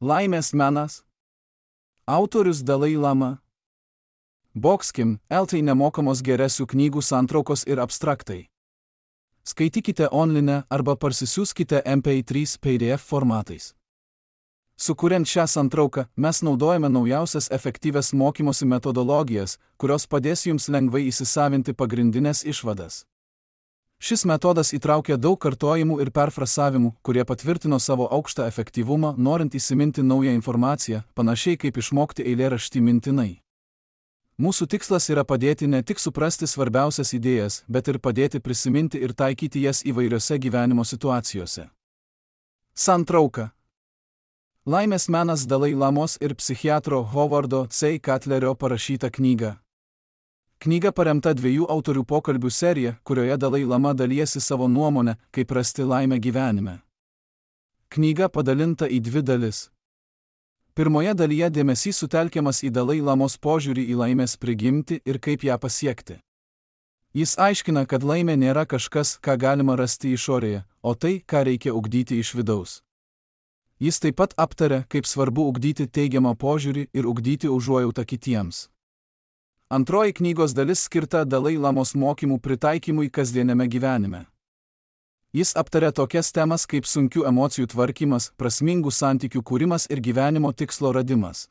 Laimės menas. Autorius Dalai Lama. Boxkim, LT nemokamos geresių knygų santraukos ir abstraktai. Skaitykite online arba parsisiųskite MP3 PDF formatais. Sukuriant šią santrauką, mes naudojame naujausias efektyvias mokymosi metodologijas, kurios padės jums lengvai įsisavinti pagrindinės išvadas. Šis metodas įtraukia daug kartojimų ir perfrasavimų, kurie patvirtino savo aukštą efektyvumą, norint įsiminti naują informaciją, panašiai kaip išmokti eilėraštį mintinai. Mūsų tikslas yra padėti ne tik suprasti svarbiausias idėjas, bet ir padėti prisiminti ir taikyti jas įvairiose gyvenimo situacijose. Santrauka. Laimės menas Dalai Lamos ir psichiatro Howardo C. Katlerio parašyta knyga. Knyga paremta 2 autorių pokalbių serija, kurioje Dalai Lama dalijasi savo nuomonę, kaip rasti laimę gyvenime. Knyga padalinta į 2 dalis. Pirmoje dalyje dėmesys sutelkiamas į Dalai Lamos požiūrį į laimės prigimtį ir kaip ją pasiekti. Jis aiškina, kad laimė nėra kažkas, ką galima rasti išorėje, o tai, ką reikia ugdyti iš vidaus. Jis taip pat aptaria, kaip svarbu ugdyti teigiamą požiūrį ir ugdyti užuojautą kitiems. Antroji knygos dalis skirta Dalai Lamos mokymų pritaikymui kasdieniame gyvenime. Jis aptaria tokias temas kaip sunkių emocijų tvarkymas, prasmingų santykių kūrimas ir gyvenimo tikslo radimas.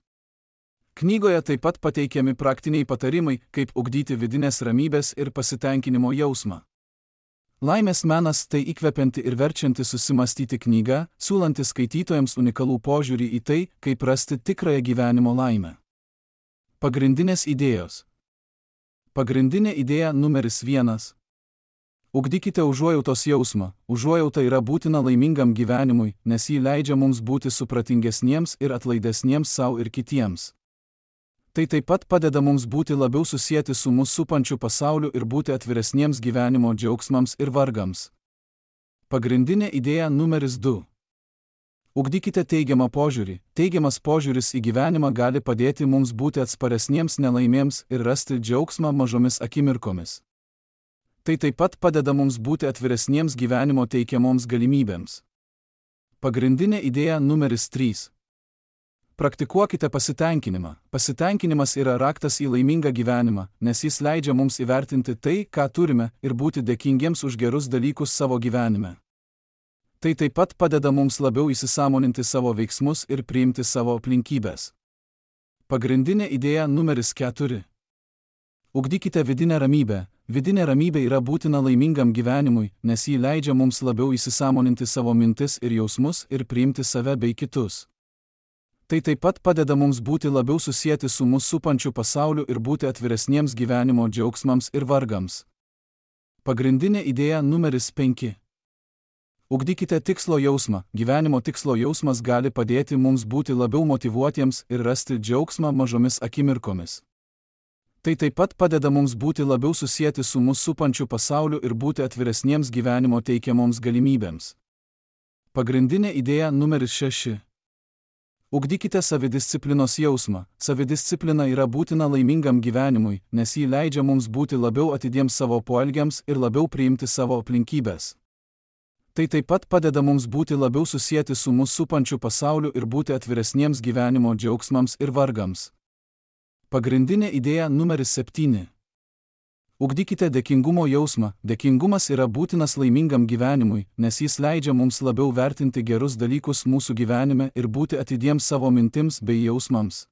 Knygoje taip pat pateikiami praktiniai patarimai, kaip ugdyti vidinės ramybės ir pasitenkinimo jausmą. Laimės menas tai įkvepianti ir verčianti susimastyti knyga, siūlanti skaitytojams unikalų požiūrį į tai, kaip rasti tikrąją gyvenimo laimę. Pagrindinės idėjos. Pagrindinė idėja numeris 1. Ugdykite užuojautos jausmą. Užuojauta yra būtina laimingam gyvenimui, nes ji leidžia mums būti supratingesniems ir atlaidesniems sau ir kitiems. Tai taip pat padeda mums būti labiau susieti su mus supančiu pasauliu ir būti atviresniems gyvenimo džiaugsmams ir vargams. Pagrindinė idėja numeris 2. Ugdykite teigiamą požiūrį. Teigiamas požiūris į gyvenimą gali padėti mums būti atsparesniems nelaimėms ir rasti džiaugsmą mažomis akimirkomis. Tai taip pat padeda mums būti atviresniems gyvenimo teikiamoms galimybėms. Pagrindinė idėja numeris 3. Praktikuokite pasitenkinimą. Pasitenkinimas yra raktas į laimingą gyvenimą, nes jis leidžia mums įvertinti tai, ką turime, ir būti dėkingiems už gerus dalykus savo gyvenime. Tai taip pat padeda mums labiau įsisąmoninti savo veiksmus ir priimti savo aplinkybės. Pagrindinė idėja numeris 4. Ugdykite vidinę ramybę. Vidinė ramybė yra būtina laimingam gyvenimui, nes ji leidžia mums labiau įsisąmoninti savo mintis ir jausmus ir priimti save bei kitus. Tai taip pat padeda mums būti labiau susieti su mus supančiu pasauliu ir būti atviresniems gyvenimo džiaugsmams ir vargams. Pagrindinė idėja numeris 5. Ugdykite tikslo jausmą. Gyvenimo tikslo jausmas gali padėti mums būti labiau motyvuotiems ir rasti džiaugsmą mažomis akimirkomis. Tai taip pat padeda mums būti labiau susieti su mus supančiu pasauliu ir būti atviresniems gyvenimo teikiamoms galimybėms. Pagrindinė idėja numeris 6. Ugdykite savidisciplinos jausmą. Savidisciplina yra būtina laimingam gyvenimui, nes ji leidžia mums būti labiau atidiems savo poelgiams ir labiau priimti savo aplinkybės. Tai taip pat padeda mums būti labiau susieti su mus supančiu pasauliu ir būti atviresniems gyvenimo džiaugsmams ir vargams. Pagrindinė idėja numeris 7. Ugdykite dėkingumo jausmą. Dėkingumas yra būtinas laimingam gyvenimui, nes jis leidžia mums labiau vertinti gerus dalykus mūsų gyvenime ir būti atidiems savo mintims bei jausmams.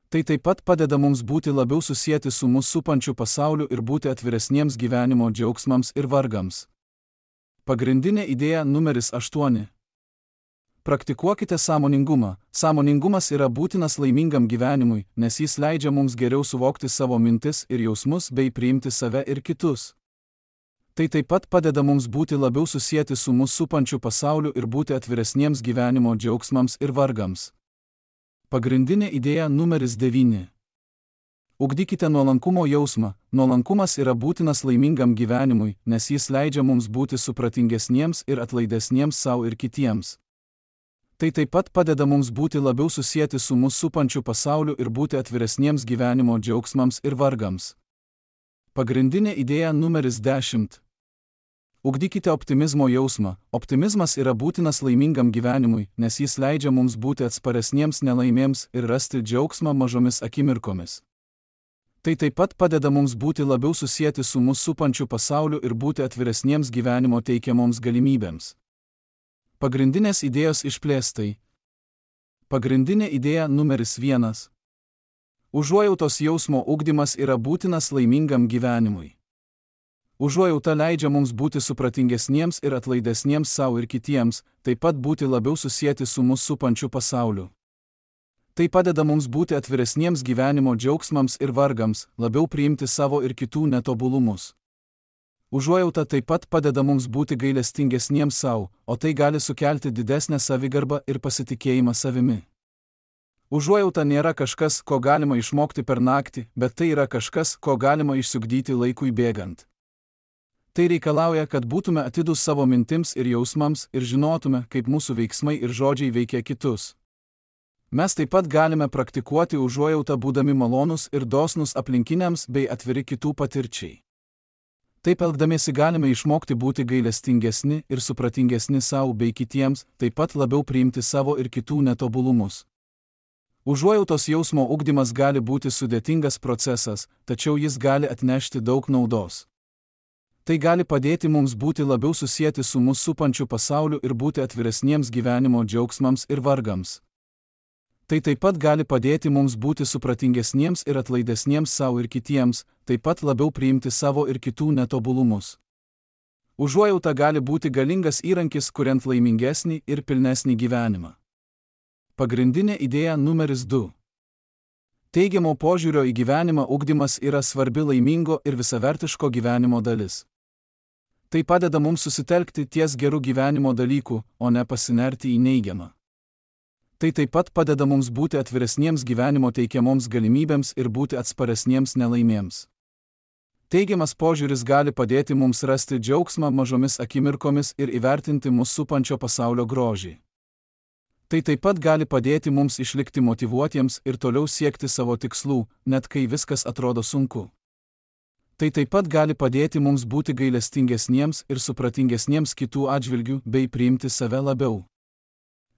Tai taip pat padeda mums būti labiau susieti su mus supančiu pasauliu ir būti atviresniems gyvenimo džiaugsmams ir vargams. Pagrindinė idėja numeris 8. Praktikuokite sąmoningumą. Sąmoningumas yra būtinas laimingam gyvenimui, nes jis leidžia mums geriau suvokti savo mintis ir jausmus bei priimti save ir kitus. Tai taip pat padeda mums būti labiau susieti su mus supančiu pasauliu ir būti atviresniems gyvenimo džiaugsmams ir vargams. Pagrindinė idėja numeris 9. Ugdykite nuolankumo jausmą. Nuolankumas yra būtinas laimingam gyvenimui, nes jis leidžia mums būti supratingesniems ir atlaidesniems sau ir kitiems. Tai taip pat padeda mums būti labiau susieti su mus supančiu pasauliu ir būti atviresniems gyvenimo džiaugsmams ir vargams. Pagrindinė idėja numeris 10. Ugdykite optimizmo jausmą. Optimizmas yra būtinas laimingam gyvenimui, nes jis leidžia mums būti atsparesniems nelaimėms ir rasti džiaugsmą mažomis akimirkomis. Tai taip pat padeda mums būti labiau susieti su mus supančiu pasauliu ir būti atviresniems gyvenimo teikiamoms galimybėms. Pagrindinės idėjos išplėstai. Pagrindinė idėja numeris 1. Užuojautos jausmo ugdymas yra būtinas laimingam gyvenimui. Užuojauta leidžia mums būti supratingesniems ir atlaidesniems savo ir kitiems, taip pat būti labiau susieti su mus supančiu pasauliu. Tai padeda mums būti atviresniems gyvenimo džiaugsmams ir vargams, labiau priimti savo ir kitų netobulumus. Užuojauta taip pat padeda mums būti gailestingesniems savo, o tai gali sukelti didesnę savigarbą ir pasitikėjimą savimi. Užuojauta nėra kažkas, ko galima išmokti per naktį, bet tai yra kažkas, ko galima išsiugdyti laikui bėgant. Tai reikalauja, kad būtume atidūs savo mintims ir jausmams ir žinotume, kaip mūsų veiksmai ir žodžiai veikia kitus. Mes taip pat galime praktikuoti užuojautą būdami malonūs ir dosnūs aplinkiniams bei atviri kitų patirčiai. Taip elgdamiesi galime išmokti būti gailestingesni ir supratingesni savo bei kitiems, taip pat labiau priimti savo ir kitų netobulumus. Užuojautos jausmo ugdymas gali būti sudėtingas procesas, tačiau jis gali atnešti daug naudos. Tai gali padėti mums būti labiau susieti su mus supančiu pasauliu ir būti atviresniems gyvenimo džiaugsmams ir vargams. Tai taip pat gali padėti mums būti supratingesniems ir atlaidesniems savo ir kitiems, taip pat labiau priimti savo ir kitų netobulumus. Užuojauta gali būti galingas įrankis, kuriant laimingesnį ir pilnesnį gyvenimą. Pagrindinė idėja numeris 2. Teigiamo požiūrio į gyvenimą ugdymas yra svarbi laimingo ir visavertiško gyvenimo dalis. Tai padeda mums susitelkti ties gerų gyvenimo dalykų, o ne pasinerti į neigiamą. Tai taip pat padeda mums būti atviresniems gyvenimo teikiamoms galimybėms ir būti atsparesniems nelaimėms. Teigiamas požiūris gali padėti mums rasti džiaugsmą mažomis akimirkomis ir įvertinti mus supančio pasaulio grožį. Tai taip pat gali padėti mums išlikti motyvuotiems ir toliau siekti savo tikslų, net kai viskas atrodo sunku. Tai taip pat gali padėti mums būti gailestingesniems ir supratingesniems kitų atžvilgių bei priimti save labiau.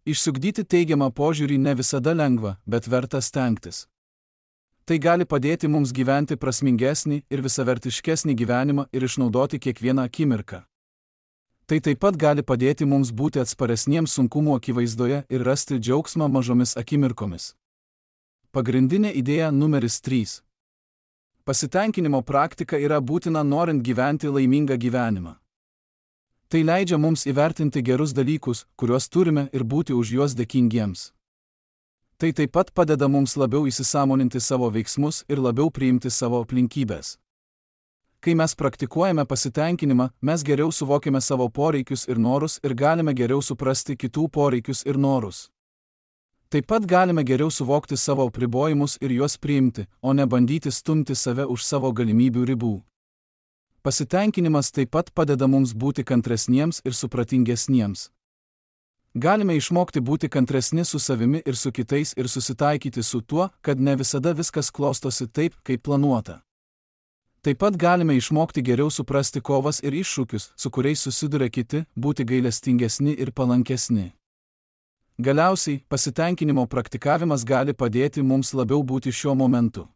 Išsiugdyti teigiamą požiūrį ne visada lengva, bet verta stengtis. Tai gali padėti mums gyventi prasmingesnį ir visavertiškesnį gyvenimą ir išnaudoti kiekvieną akimirką. Tai taip pat gali padėti mums būti atsparesniems sunkumų akivaizdoje ir rasti džiaugsmą mažomis akimirkomis. Pagrindinė idėja numeris 3. Pasitenkinimo praktika yra būtina norint gyventi laimingą gyvenimą. Tai leidžia mums įvertinti gerus dalykus, kuriuos turime ir būti už juos dėkingiems. Tai taip pat padeda mums labiau įsisąmoninti savo veiksmus ir labiau priimti savo aplinkybės. Kai mes praktikuojame pasitenkinimą, mes geriau suvokime savo poreikius ir norus ir galime geriau suprasti kitų poreikius ir norus. Taip pat galime geriau suvokti savo apribojimus ir juos priimti, o ne bandyti stumti save už savo galimybių ribų. Pasitenkinimas taip pat padeda mums būti kantresniems ir supratingesniems. Galime išmokti būti kantresni su savimi ir su kitais ir susitaikyti su tuo, kad ne visada viskas klostosi taip, kaip planuota. Taip pat galime išmokti geriau suprasti kovas ir iššūkius, su kuriais susiduria kiti, būti gailestingesni ir palankesni. Galiausiai, pasitenkinimo praktikavimas gali padėti mums labiau būti šiuo momentu.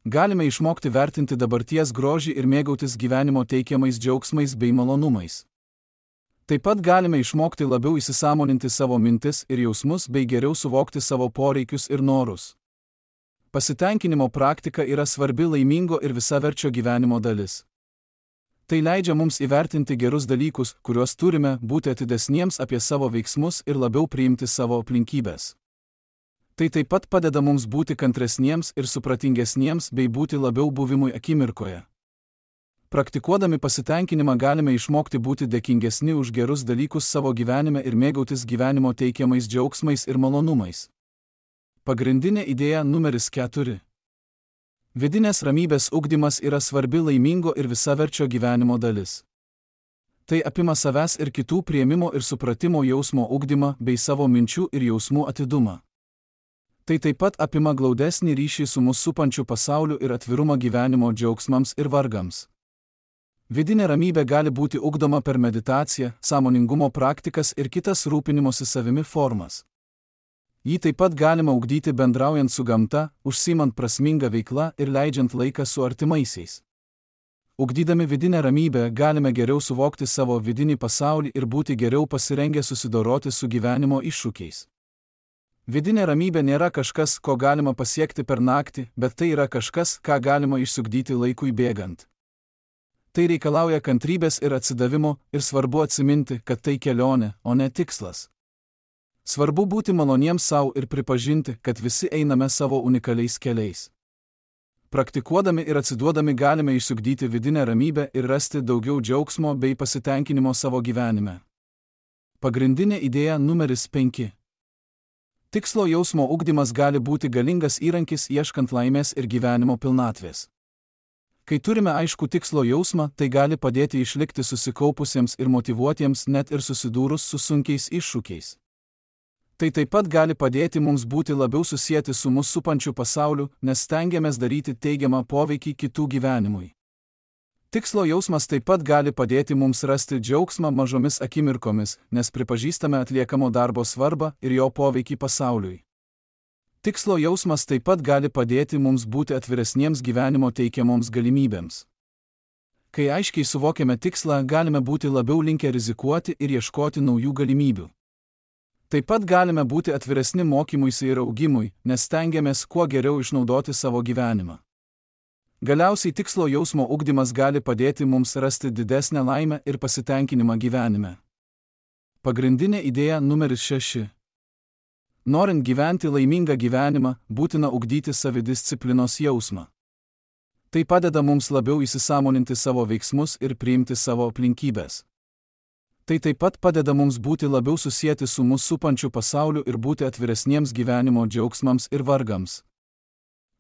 Galime išmokti vertinti dabarties grožį ir mėgautis gyvenimo teikiamais džiaugsmais bei malonumais. Taip pat galime išmokti labiau įsisąmoninti savo mintis ir jausmus bei geriau suvokti savo poreikius ir norus. Pasitenkinimo praktika yra svarbi laimingo ir visaverčio gyvenimo dalis. Tai leidžia mums įvertinti gerus dalykus, kuriuos turime, būti atidesniems apie savo veiksmus ir labiau priimti savo aplinkybės. Tai taip pat padeda mums būti kantresniems ir supratingesniems bei būti labiau buvimui akimirkoje. Praktikuodami pasitenkinimą galime išmokti būti dėkingesni už gerus dalykus savo gyvenime ir mėgautis gyvenimo teikiamais džiaugsmais ir malonumais. Pagrindinė idėja numeris 4. Vidinės ramybės ugdymas yra svarbi laimingo ir visaverčio gyvenimo dalis. Tai apima savęs ir kitų priėmimo ir supratimo jausmo ugdymą bei savo minčių ir jausmų atidumą. Tai taip pat apima glaudesnį ryšį su mus supančiu pasauliu ir atvirumą gyvenimo džiaugsmams ir vargams. Vidinė ramybė gali būti ugdoma per meditaciją, sąmoningumo praktikas ir kitas rūpinimosi savimi formas. Jį taip pat galima ugdyti bendraujant su gamta, užsiimant prasmingą veiklą ir leidžiant laiką su artimaisiais. Ugdydami vidinę ramybę galime geriau suvokti savo vidinį pasaulį ir būti geriau pasirengę susidoroti su gyvenimo iššūkiais. Vidinė ramybė nėra kažkas, ko galima pasiekti per naktį, bet tai yra kažkas, ką galima išsiugdyti laikui bėgant. Tai reikalauja kantrybės ir atsidavimo, ir svarbu atsiminti, kad tai kelionė, o ne tikslas. Svarbu būti maloniems savo ir pripažinti, kad visi einame savo unikaliais keliais. Praktikuodami ir atsiduodami galime išsiugdyti vidinę ramybę ir rasti daugiau džiaugsmo bei pasitenkinimo savo gyvenime. Pagrindinė idėja numeris 5. Tikslo jausmo ugdymas gali būti galingas įrankis ieškant laimės ir gyvenimo pilnatvės. Kai turime aišku tikslo jausmą, tai gali padėti išlikti susikaupusiems ir motyvuotiems net ir susidūrus su sunkiais iššūkiais. Tai taip pat gali padėti mums būti labiau susieti su mus supančiu pasauliu, nes stengiamės daryti teigiamą poveikį kitų gyvenimui. Tikslo jausmas taip pat gali padėti mums rasti džiaugsmą mažomis akimirkomis, nes pripažįstame atliekamo darbo svarbą ir jo poveikį pasauliui. Tikslo jausmas taip pat gali padėti mums būti atviresniems gyvenimo teikiamoms galimybėms. Kai aiškiai suvokiame tikslą, galime būti labiau linkę rizikuoti ir ieškoti naujų galimybių. Taip pat galime būti atviresni mokymuisi ir augimui, nes stengiamės kuo geriau išnaudoti savo gyvenimą. Galiausiai tikslo jausmo ugdymas gali padėti mums rasti didesnę laimę ir pasitenkinimą gyvenime. Pagrindinė idėja numeris 6. Norint gyventi laimingą gyvenimą, būtina ugdyti savidisciplinos jausmą. Tai padeda mums labiau įsisąmoninti savo veiksmus ir priimti savo aplinkybės. Tai taip pat padeda mums būti labiau susieti su mus supančiu pasauliu ir būti atviresniems gyvenimo džiaugsmams ir vargams.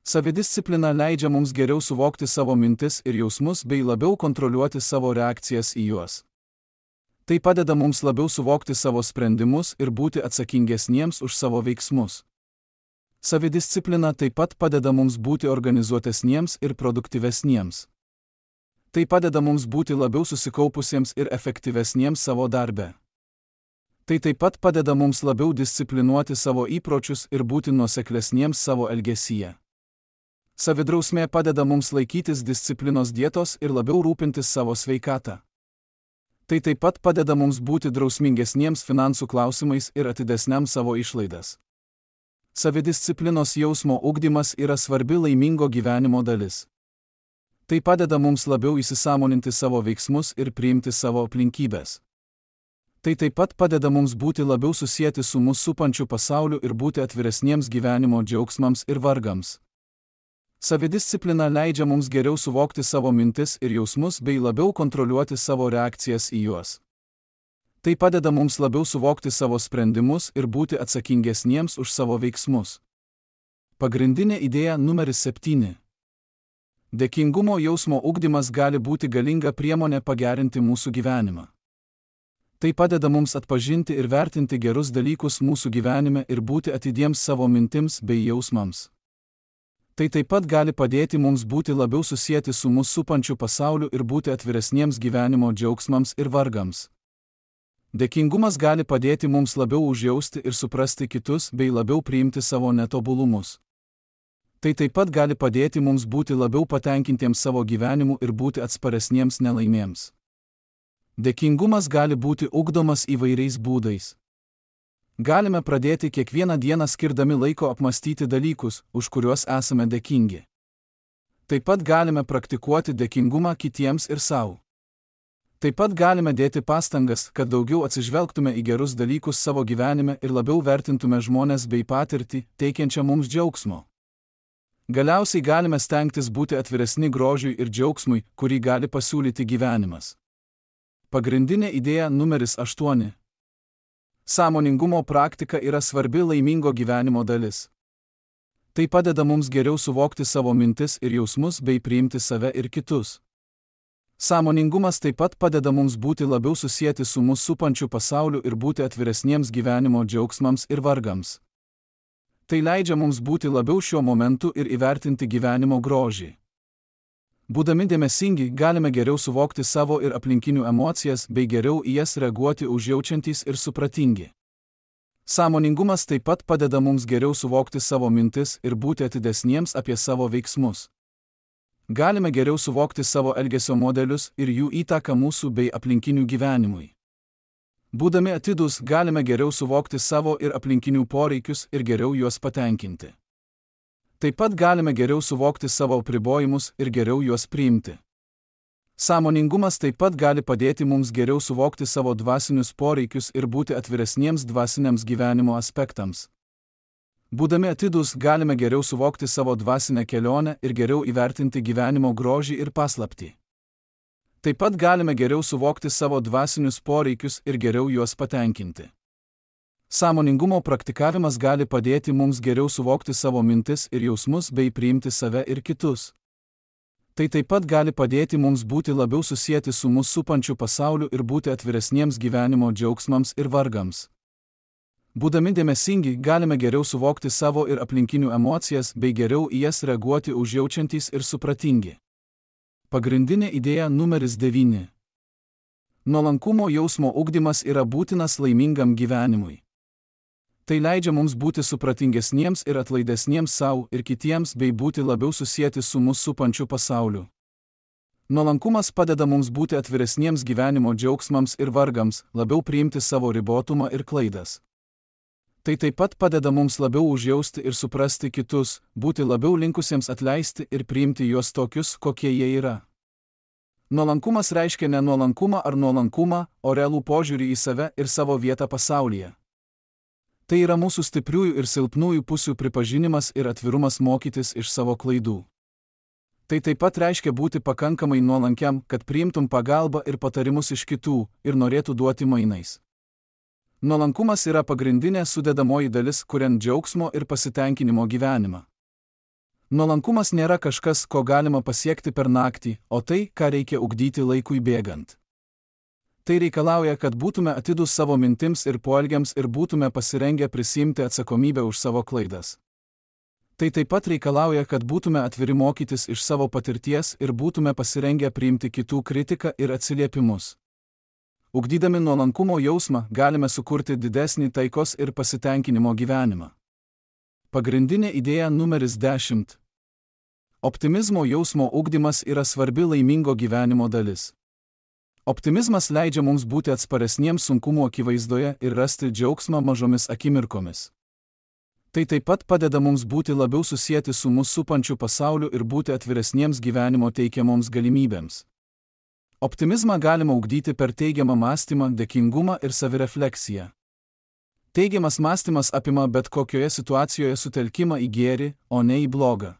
Savidisciplina leidžia mums geriau suvokti savo mintis ir jausmus bei labiau kontroliuoti savo reakcijas į juos. Tai padeda mums labiau suvokti savo sprendimus ir būti atsakingesniems už savo veiksmus. Savidisciplina taip pat padeda mums būti organizuotesniems ir produktyvesniems. Tai padeda mums būti labiau susikaupusiems ir efektyvesniems savo darbe. Tai taip pat padeda mums labiau disciplinuoti savo įpročius ir būti nuoseklesniems savo elgesyje. Savidrausmė padeda mums laikytis disciplinos dietos ir labiau rūpintis savo sveikatą. Tai taip pat padeda mums būti drausmingesniems finansų klausimais ir atidesniam savo išlaidas. Savidisciplinos jausmo ugdymas yra svarbi laimingo gyvenimo dalis. Tai padeda mums labiau įsisąmoninti savo veiksmus ir priimti savo aplinkybės. Tai taip pat padeda mums būti labiau susieti su mus supančiu pasauliu ir būti atviresniems gyvenimo džiaugsmams ir vargams. Savidisciplina leidžia mums geriau suvokti savo mintis ir jausmus bei labiau kontroliuoti savo reakcijas į juos. Tai padeda mums labiau suvokti savo sprendimus ir būti atsakingesniems už savo veiksmus. Pagrindinė idėja numeris 7. Dėkingumo jausmo ugdymas gali būti galinga priemonė pagerinti mūsų gyvenimą. Tai padeda mums atpažinti ir vertinti gerus dalykus mūsų gyvenime ir būti atidiems savo mintims bei jausmams. Tai taip pat gali padėti mums būti labiau susieti su mus supančiu pasauliu ir būti atviresniems gyvenimo džiaugsmams ir vargams. Dėkingumas gali padėti mums labiau užjausti ir suprasti kitus bei labiau priimti savo netobulumus. Tai taip pat gali padėti mums būti labiau patenkintiems savo gyvenimu ir būti atsparesniems nelaimėms. Dėkingumas gali būti ugdomas įvairiais būdais. Galime pradėti kiekvieną dieną skirdami laiko apmąstyti dalykus, už kuriuos esame dėkingi. Taip pat galime praktikuoti dėkingumą kitiems ir savo. Taip pat galime dėti pastangas, kad daugiau atsižvelgtume į gerus dalykus savo gyvenime ir labiau vertintume žmones bei patirtį, teikiančią mums džiaugsmo. Galiausiai galime stengtis būti atviresni grožiui ir džiaugsmui, kurį gali pasiūlyti gyvenimas. Pagrindinė idėja numeris 8. Sąmoningumo praktika yra svarbi laimingo gyvenimo dalis. Tai padeda mums geriau suvokti savo mintis ir jausmus bei priimti save ir kitus. Sąmoningumas taip pat padeda mums būti labiau susieti su mus supančiu pasauliu ir būti atviresniems gyvenimo džiaugsmams ir vargams. Tai leidžia mums būti labiau šiuo momentu ir įvertinti gyvenimo grožį. Būdami dėmesingi, galime geriau suvokti savo ir aplinkinių emocijas bei geriau į jas reaguoti užjaučiantys ir supratingi. Sąmoningumas taip pat padeda mums geriau suvokti savo mintis ir būti atidesniems apie savo veiksmus. Galime geriau suvokti savo elgesio modelius ir jų įtaką mūsų bei aplinkinių gyvenimui. Būdami atidūs, galime geriau suvokti savo ir aplinkinių poreikius ir geriau juos patenkinti. Taip pat galime geriau suvokti savo apribojimus ir geriau juos priimti. Sąmoningumas taip pat gali padėti mums geriau suvokti savo dvasinius poreikius ir būti atviresniems dvasiniams gyvenimo aspektams. Būdami atidūs, galime geriau suvokti savo dvasinę kelionę ir geriau įvertinti gyvenimo grožį ir paslaptį. Taip pat galime geriau suvokti savo dvasinius poreikius ir geriau juos patenkinti. Sąmoningumo praktikavimas gali padėti mums geriau suvokti savo mintis ir jausmus bei priimti save ir kitus. Tai taip pat gali padėti mums būti labiau susieti su mus supančiu pasauliu ir būti atviresniems gyvenimo džiaugsmams ir vargams. Būdami dėmesingi, galime geriau suvokti savo ir aplinkinių emocijas bei geriau į jas reaguoti užjaučiantys ir supratingi. Pagrindinė idėja numeris 9. Nuolankumo jausmo ugdymas yra būtinas laimingam gyvenimui. Tai leidžia mums būti supratingesniems ir atlaidesniems savo ir kitiems bei būti labiau susieti su mus supančiu pasauliu. Nuolankumas padeda mums būti atviresniems gyvenimo džiaugsmams ir vargams, labiau priimti savo ribotumą ir klaidas. Tai taip pat padeda mums labiau užjausti ir suprasti kitus, būti labiau linkusiems atleisti ir priimti juos tokius, kokie jie yra. Nuolankumas reiškia ne nuolankumą ar nuolankumą, o realų požiūrį į save ir savo vietą pasaulyje. Tai yra mūsų stipriųjų ir silpnųjų pusių pripažinimas ir atvirumas mokytis iš savo klaidų. Tai taip pat reiškia būti pakankamai nuolankiam, kad priimtum pagalbą ir patarimus iš kitų ir norėtų duoti mainais. Nuolankumas yra pagrindinė sudedamoji dalis, kuriant džiaugsmo ir pasitenkinimo gyvenimą. Nuolankumas nėra kažkas, ko galima pasiekti per naktį, o tai, ką reikia ugdyti laikui bėgant. Tai reikalauja, kad būtume atidūs savo mintims ir poelgiams ir būtume pasirengę prisiimti atsakomybę už savo klaidas. Tai taip pat reikalauja, kad būtume atviri mokytis iš savo patirties ir būtume pasirengę priimti kitų kritiką ir atsiliepimus. Ugdydami nuolankumo jausmą, galime sukurti didesnį taikos ir pasitenkinimo gyvenimą. Pagrindinė idėja numeris 10. Optimizmo jausmo ugdymas yra svarbi laimingo gyvenimo dalis. Optimizmas leidžia mums būti atsparesniems sunkumų akivaizdoje ir rasti džiaugsmą mažomis akimirkomis. Tai taip pat padeda mums būti labiau susieti su mus supančiu pasauliu ir būti atviresniems gyvenimo teikiamoms galimybėms. Optimizmą galima ugdyti per teigiamą mąstymą, dėkingumą ir savirefleksiją. Teigiamas mąstymas apima bet kokioje situacijoje sutelkimą į gėrį, o ne į blogą.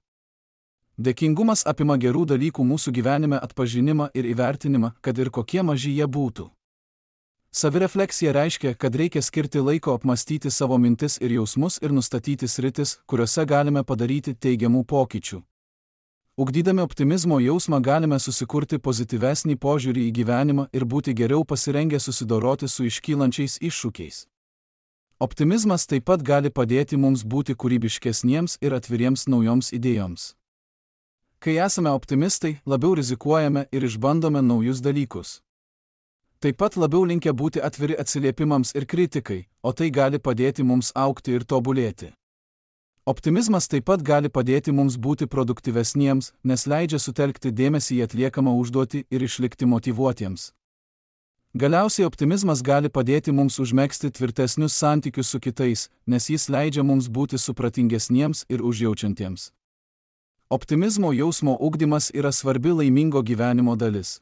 Dėkingumas apima gerų dalykų mūsų gyvenime atpažinimą ir įvertinimą, kad ir kokie maži jie būtų. Savirefleksija reiškia, kad reikia skirti laiko apmastyti savo mintis ir jausmus ir nustatyti sritis, kuriuose galime padaryti teigiamų pokyčių. Ugdydami optimizmo jausmą galime susikurti pozityvesnį požiūrį į gyvenimą ir būti geriau pasirengę susidoroti su iškylančiais iššūkiais. Optimizmas taip pat gali padėti mums būti kūrybiškesniems ir atviriems naujoms idėjoms. Kai esame optimistai, labiau rizikuojame ir išbandome naujus dalykus. Taip pat labiau linkę būti atviri atsiliepimams ir kritikai, o tai gali padėti mums augti ir tobulėti. Optimizmas taip pat gali padėti mums būti produktyvesniems, nes leidžia sutelkti dėmesį į atliekamą užduotį ir išlikti motyvuotiems. Galiausiai optimizmas gali padėti mums užmegzti tvirtesnius santykius su kitais, nes jis leidžia mums būti supratingesniems ir užjaučiantiems. Optimizmo jausmo ugdymas yra svarbi laimingo gyvenimo dalis.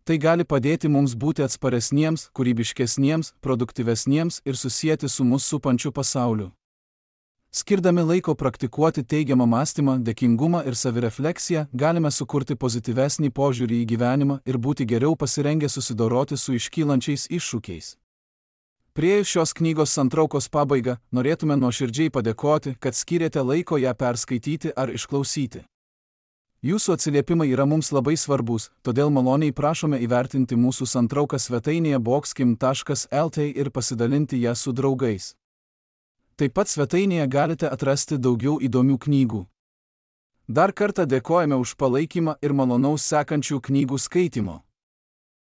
Tai gali padėti mums būti atsparesniems, kūrybiškesniems, produktyvesniems ir susieti su mus supančiu pasauliu. Skirdami laiko praktikuoti teigiamą mąstymą, dėkingumą ir savirefleksiją, galime sukurti pozityvesnį požiūrį į gyvenimą ir būti geriau pasirengę susidoroti su iškylančiais iššūkiais. Priėjus šios knygos santraukos pabaigą, norėtume nuoširdžiai padėkoti, kad skyrėte laiko ją perskaityti ar išklausyti. Jūsų atsiliepimai yra mums labai svarbus, todėl maloniai prašome įvertinti mūsų santrauką svetainėje boxkim.lt ir pasidalinti ją su draugais. Taip pat svetainėje galite atrasti daugiau įdomių knygų. Dar kartą dėkojame už palaikymą ir malonaus sekančių knygų skaitimo.